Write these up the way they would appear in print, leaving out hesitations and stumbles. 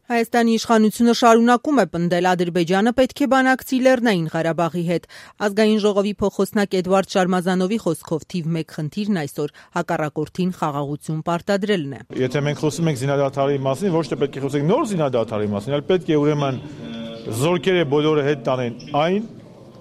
Հայաստանի իշխանությունը շարունակում է պնդել Ադրբեջանը պետք է բանակցի Լեռնային Ղարաբաղի հետ։ Ազգային ժողովի փոխոսնակ Էդվարդ Շարմազանովի խոսքով թիվ 1 խնդիրն այսօր հակառակորդին խաղաղություն պարտադրելն է։ Եթե մենք խոսում ենք զինադադարի մասին, ոչ թե պետք է խոսենք նոր զինադադարի մասին, այլ պետք է ուրեմն զորքերը բոլորը հետ տանեն այն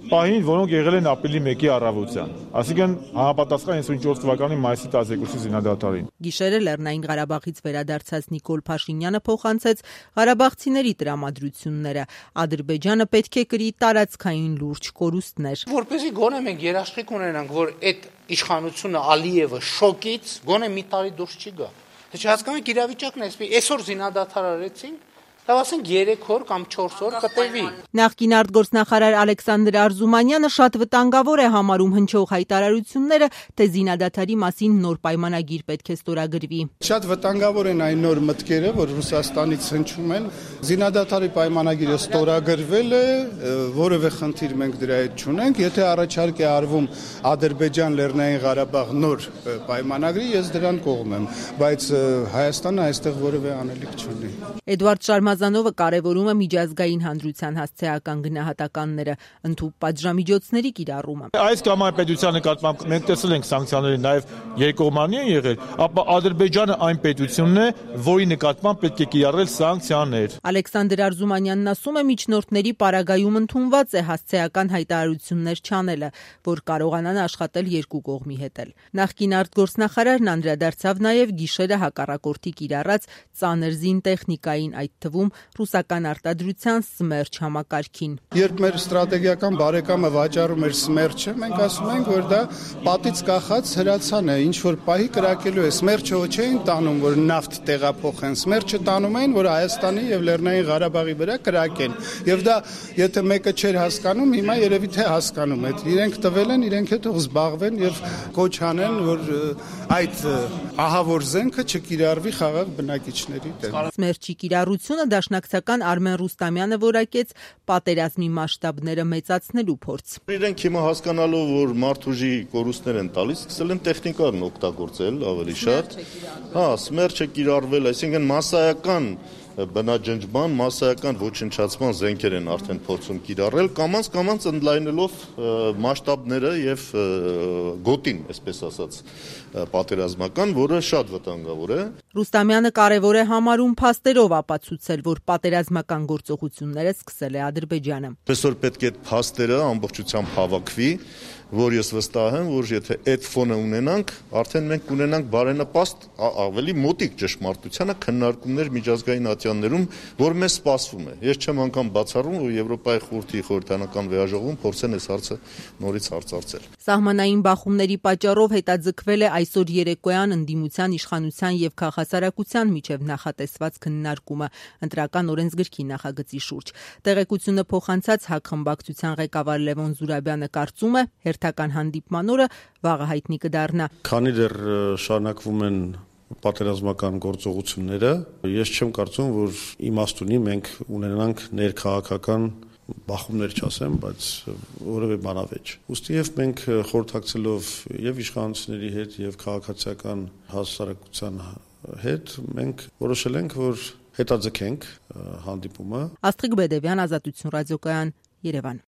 պահին, որոնք եղել են ապրիլի 1-ի առավոտյան, այսինքն համապատասխան 94 թվականի մայիսի 12-ի զինադադարին։ Գիշերը Լեռնային Ղարաբաղից վերադարձած Նիկոլ Փաշինյանը փոխանցեց ղարաբաղցիների տրամադրությունները։ Ադրբեջանը պետք է կրի տարածքային լուրջ կորուստներ։ Որպեսզի գոնե մենք երաշխիք ունենանք, որ այդ իշխանությունը Ալիևը շոկից գոնե մի տարի դուրս չի գա։ Թե չհասկանում եք իրավիճակն է, այսօր զինադադար արեցինք, ասենք 3 օր կամ 4 օր կտևի։ Նախկին արտգործնախարար Ալեքսանդր Արզումանյանը շատ վտանգավոր է համարում հնչող հայտարարությունները, թե զինադադարի մասին նոր պայմանագիր պետք է ստորագրվի։ Շատ վտանգավոր են այն նոր մտքերը, որ Ռուսաստանից հնչում են։ Զինադադարի պայմանագիրը ստորագրվել է, որևէ խնդիր մենք դրա հետ չունենք։ Եթե առաջարկ է արվում Ադրբեջան Լեռնային Ղարաբաղ նոր պայմանագրի, ես դրան կողմ եմ, բայց Հայաստանը այստեղ որևէ անելիք չունի։ Էդվարդ Շարմազանովը կարևորում է միջազգային հանրության հասցեական գնահատականները, ընդհանուր պատժամիջոցների կիրառումը։ Այս կամ այն պետության նկատմամբ մենք տեսել ենք սանկցիաները նաև երկկողմանի են եղել, ապա Ադրբեջանը այն պետությունն է, որի նկատմամբ պետք է կիրառել սանկցիաներ։ Ալեքսանդր Արզումանյանն ասում է, միջնորդների պարագայում ընդունված է հասցեական հայտարարություններ չանելը, որ կարողանան աշխատել երկու կողմի հետ էլ։ Նախկին արտգործնախարարն անդրադարձավ նաև գիշերը հակառակորդի կիրառած ծանր զինտեխնիկային, այդ թվում ռուսական արտադրության Սմերչ համակարգին։ Երբ մեր ստրատեգիական բարեկամը վաճառում էր Սմերչը, մենք ասում ենք, որ դա պատից կախած հրացան է, ինչ որ պահի կրակելու է։ Սմերչը ոչ չէին տանում, որ նավթ տեղափոխեն, Սմերչը տանում էին, որ Հայաստանի եւ Լեռնային Ղարաբաղի վրա կրակեն։ Եւ դա, եթե մեկը չէր հասկանում, հիմա երևի թե հասկանում է։ Իրենք տվել են, իրենք էլ թող զբաղվեն եւ կոչ անեն, որ այդ ահավոր զենքը չկիրառվի խաղաղ բնակիչների դեմ։ Սմերչի կիրառությունը դաշնակցական Արմեն Ռուստամյանը որակեց պատերազմի մասշտաբները մեծացնելու փորձ։ Իրենք հիմա հասկանալով, որ մարդուժի կորուստներ են տալիս, սկսել են տեխնիկան օգտագործել ավելի շատ։ Սմերչը կիրառվել, այսինքն մասսայական բնաջնջման, մասսայական ոչնչացման զենքեր են արդեն փորձում կիրառել, կամաց ընդլայնելով մասշտաբները եւ գոտին, այսպես ասած, պատերազմական, որը շատ վտանգավոր է։ Ռուստամյանը կարևոր է համարում փաստերով ապացուցել, որ պատերազմական գործողությունները սկսել է Ադրբեջանը։ Այսօր պետք է այդ փաստերը ամբողջությամբ հավաքվի, որ ես վստահ եմ, որ եթե այդ ֆոնը ունենանք, արդեն մենք կունենանք բարենպաստ ավելի մոտիկ ճշմարտությանը քննարկումներ միջազգային ատյաններում, որ մեզ սպասվում է։ Ես չեմ անգամ բացառում, որ Եվրոպայի խորհրդի խորհրդանական վեաժողովում փորձեն այս հարցը նորից հարցարցել։ Սահմանային բախումների պատճառով հետաձգվել է այսօր երեկոյան ընդդիմության, իշխանության եւ քաղաքասարակության միջև նախատեսված քննարկումը ընտրական օրենսգրքի նախագծի շուրջ։ Տեղեկությունը փոխանցած ՀԱԿ խմբակցության ղեկավար Լևոն Զուրաբյանը կարծում է, հերթական հանդիպման օրը վաղը հայտնի կդառնա։ Քանի դեռ շարունակվում են պատերազմական գործողությունները, ես չեմ կարծում, որ իմաստ ունի մենք ունենանք ներքաղաքական բախումներ չասեմ, բայց որևէ բանավեճ։ Ուստի եւ մենք խորհրդակցելով եւ իշխանությունների հետ եւ քաղաքացիական հասարակության հետ մենք որոշել ենք, որ հետաձգենք հանդիպումը։ Աստղիկ Բեդևյան, Ազատություն ռադիոկայան, Երևան։